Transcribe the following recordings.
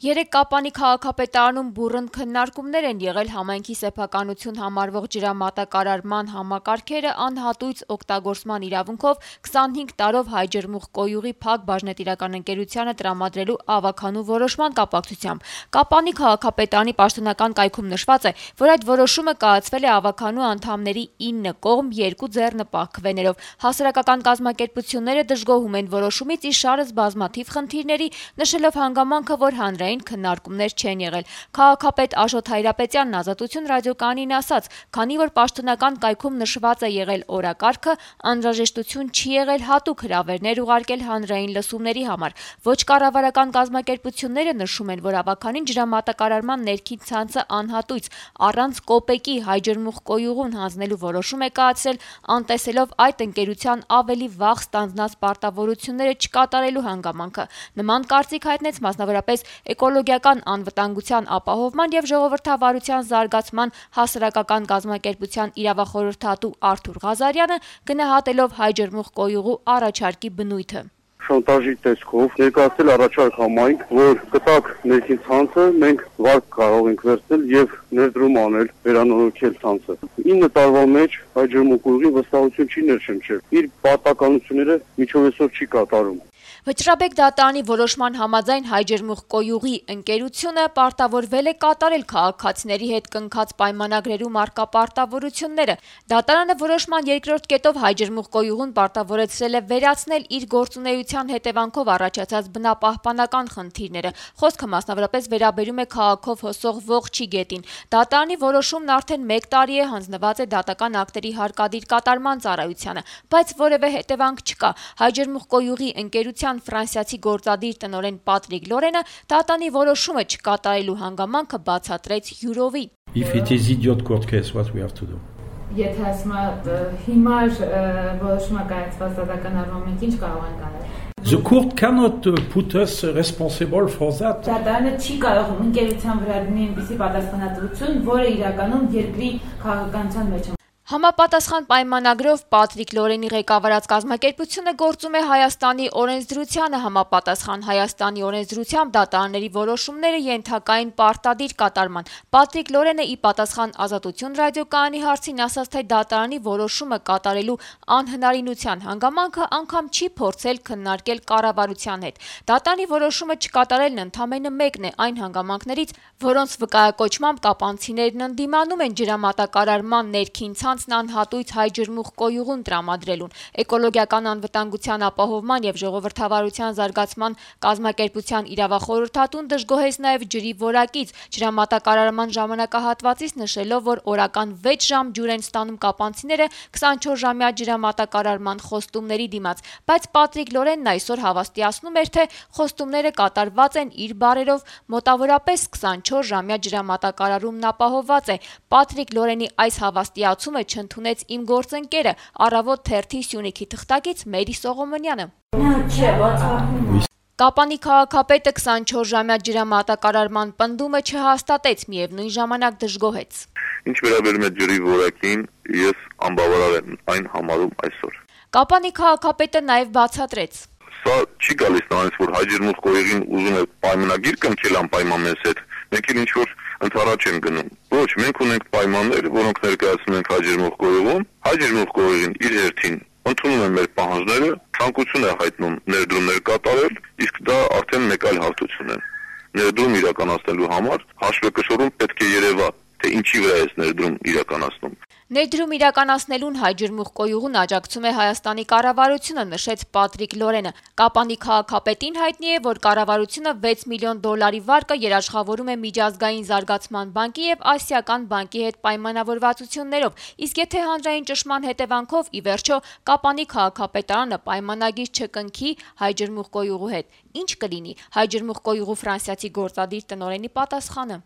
Երեկ Կապանի քաղաքապետարանում բուռն քննարկումներ են եղել համայնքի սեփականություն համարվող ջրամատակարարման համակարգերը անհատույց օգտագործման իրավունքով 25 տարով Հայ-Ջրմուղ-Կոյուղի Փակ բաժնետիրական ընկերությանը տրամադրելու ավագանու որոշման կապակցությամբ։ Կապանի քաղաքապետարանի պաշտոնական կայքում նշված է, որ այդ որոշումը կայացվել է ավագանու անդամների 9 կողմ 2 ձեռնպահ հասարակական կազմակերպությունները դժգոհում են որոշումից, իշարս բազմաթիվ խնդիրների, նշելով հանգամանքը, որ հանրային քննարկումներ չեն եղել։ Քաղաքապետ Աշոտ Հայրապետյանն Ազատություն ռադիոկայանին ասաց, քանի որ պաշտոնական կայքում նշված է եղել օրակարգը, անհրաժեշտություն չի եղել հատուկ հրավերներ ուղարկել հանրային լսումների համար։ Ոչ կառավարական կազմակերպությունները նշում են, որ ավագանին ջրամատակարարման ներքին ցանցը անհատույց առանց կոպեկի Հայ-Ջրմուղ-Կոյուղուն հանձնելու որոշում է կայացրել, անտեսելով այդ ընկերության ավելի վաղ ստանձնած պարտավորությունները չկատարելու հանգամանքը։ Նման կարծիք հայտնեց մասնավորապես էկոլոգիական անվտանգության ապահովման և ժողովրդավարության զարգացման հասարակական կազմակերպության իրավախորհրդատու Արթուր Ղազարյանը, գնահատելով Հայ-Ջրմուղ-Կոյուղու առաջարկի բնույթը։ Շանտաժի տեսքով ներկայացել առաջարկ համայնք, որ կտակ ներքին ցանցը մենք վարկ կարող ենք վերցնել եւ ներդրում անել, վերանորոգել ցանցը։ 9 տարվա մեջ Հայ-Ջրմուղ-Կոյուղի վստահություն չի ներշնչել։ Իր պարտականությունները միջովեսով չի կատարում։ Վճռաբեկ դատարանի որոշման համաձայն Հայ-Ջրմուղ-Կոյուղի ընկերությունը պարտավորվել է կատարել քաղաքացիների հետ կնքած պայմանագրերում առկա պարտավորությունները։ Դատարանը որոշման երկրորդ կետով Հայ-Ջրմուղ-Կոյուղուն պարտավորեցրել է վերացնել իր գործունեության հետևանքով առաջացած բնապահպանական խնդիրները։ Խոսքը մասնավորապես վերաբերում է քաղաքով հոսող Ողջի գետին։ Դատարանի որոշումն արդեն 1 տարի է հանձնված է դատական ակտերի հարկադիր կատարման ծառայությանը, բայց որևէ հետևանք չկա։ Հայ-Ջրմուղ-Կոյուղի ընկերության ֆրանսիացի գործադիր տնօրեն Պատրիկ Լորենը դատանի որոշումը չկատարելու հանգամանքը բացատրեց յուրովի։ Եթե ասում հիմար որոշումը կայացված դատական առումով ինչ կարող ենք անել։ The court cannot put us responsible for that. Դատարանը չի կարող ընկերության վրա դնել այնպիսի պատասխանատվություն, որը իրականում երկրի քաղաքականության մեջ է։ Համապատասխան պայմանագրով Պատրիկ Լորենի ղեկավարած կազմակերպությունը գործում է Հայաստանի օրենսդրությանը համապատասխան։ Հայաստանի օրենսդրությամբ դատարանների որոշումները ենթակա են պարտադիր կատարման։ Պատրիկ Լորենը ի պատասխան Ազատություն ռադիոկայանի հարցին ասաց, թե դատարանի որոշումը կատարելու անհնարինության հանգամանքը անգամ չի փորձել քննարկել կառավարության հետ։ Դատարանի որոշումը չկատարելն ընդամենը մեկն է այն հանգամանքներից, որոնց վկայակոչմամբ կապանցիներն ընդդիմանում են ջրամատակարարման ներքին անհատույց Հայ-Ջրմուղ-Կոյուղուն տրամադրելուն։ Էկոլոգիական անվտանգության ապահովման և ժողովրդավարության զարգացման կազմակերպության իրավախորհրդատուն դժգոհեց նաև ջրի որակից, ջրամատակարարման ժամանակահատվածից նշելով, որ օրական 6 ժամ ջուր են ստանում կապանցիները 24-ժամյա ջրամատակարարման խոստումների դիմաց, բայց Պատրիկ Լորենն այսօր հավաստիացնում էր, թե խոստումները կատարված են իր բառերով, մոտավորապես 24-ժամյա ջրամատակարարումն ապահովված է։ Պատրիկ Լորենի այս հավաստիացումը չընդունեց իմ գործընկերը, Առավոտ թերթի Սյունիքի թղթակից Մերի Սողոմոնյանը։ Կապանի քաղաքապետը 24-ժամյա ջրամատակարարման պնդումը չհաստատեց, միևնույն ժամանակ դժգոհեց։ Ինչ վերաբերում է ջրի որակին, ես անբավարար եմ այն համարում այսօր։ Կապանի քաղաքապետը նաև բացատրեց։ Սա չի գալիս նրանից, որ Հայ-Ջրմուղ-Կոյուղին ուզում է պայմանագիր կնքել անպայման մեզ հետ, մենք էլ ինչ-որ ընդառաջ եմ գնում։ Ոչ, մենք ունենք պայմաններ, որոնք ներկայացնում ենք Հայ-Ջրմուղ-Կոյուղում, Հայ-Ջրմուղ-Կոյուղին իր հերթին ընդունում է մեր պահանջները, ցանկություն է հայտնում ներդրումներ կատարել, իսկ դա արդեն մեկ այլ հարթություն է։ Ներդրում իրականացնելու համար հաշվեկշռում պետք է երևա, թե ինչի վրա է ներդրում իրականացնում։ Ներդրում իրականացնելուն Հայ-Ջրմուղ-Կոյուղուն աջակցում է Հայաստանի կառավարությունը, նշեց Պատրիկ Լորենը։ Կապանի քաղաքապետին հայտնի է, որ կառավարությունը 6 միլիոն դոլարի վարկը երաշխավորում է Միջազգային զարգացման բանկի և Ասիական բանկի հետ պայմանավորվածություններով, իսկ եթե հանրային ճնշման հետևանքով ի վերջո Կապանի քաղաքապետարանը պայմանագիր չկնքի Հայ-Ջրմուղ-Կոյուղու հետ, ինչ կլինի։ Հայ-Ջրմուղ-Կոյուղու ֆրանսիացի գործադիր տնօրենի պատասխանը։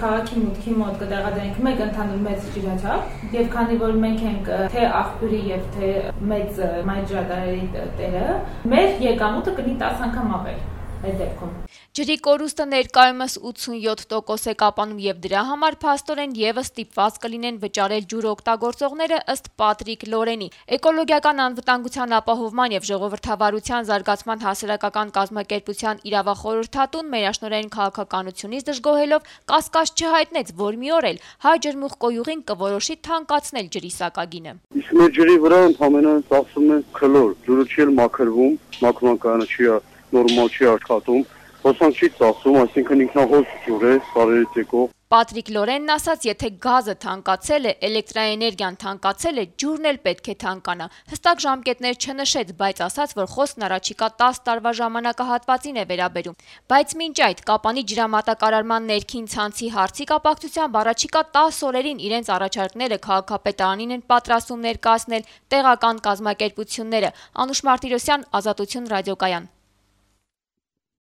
Քաղաքի մուտքի մոտ կտեղադրենք մեկ ընդհանուր մեծ ջրաչափ եւ քանի որ մենք ենք թե աղբյուրի եւ թե մեծ մայր ջրատարերի տերը, մեր եկամուտը կլինի 10 անգամ ավել։ այդ դեպքում։ Ջրի կորուստը ներկայումս 87% է կապանում եւ դրա համար փաստորեն եւս ստիպված կլինեն վճարել ջուր օգտագործողները, ըստ Պատրիկ Լորենի։ Էկոլոգիական անվտանգության ապահովման եւ ժողովրդավարության զարգացման հասարակական կազմակերպության իրավախորհրդատուն մերաշնորհային քաղաքականությունից դժգոհելով կասկած չհայտնեց, որ մի օր էլ հայ ջրմուղկոյուղին կորոշի թանկացնել ջրի սակագինը։ Իսկ մեր ջրի վրա ընդհանրապես ծախսում են քլոր, ջուրը չի մաքրվում, մաքրման չի նորմալ չի աշխատում, հոսանք չի ծախսում, այսինքն ինքնահոս ջուր է, սարերից եկող։ Պատրիկ Լորենն ասաց, եթե գազը թանկացել է, էլեկտրաէներգիան թանկացել է, ջուրն էլ պետք է թանկանա։ Հստակ ժամկետներ չնշեց, բայց ասաց, որ խոսքն առաջիկա 10 տարվա ժամանակահատվածին է վերաբերում։ Բայց մինչ այդ Կապանի ջրամատակարարման ներքին ցանցի հարցի կապակցությամբ առաջիկա 10 օրերին իրենց առաջարկները քաղաքապետարանին են պատրաստում ներկայացնել տեղական կազմակերպությունները։ Անուշ Մարտիրոսյան, Ազատություն ռադիոկայան։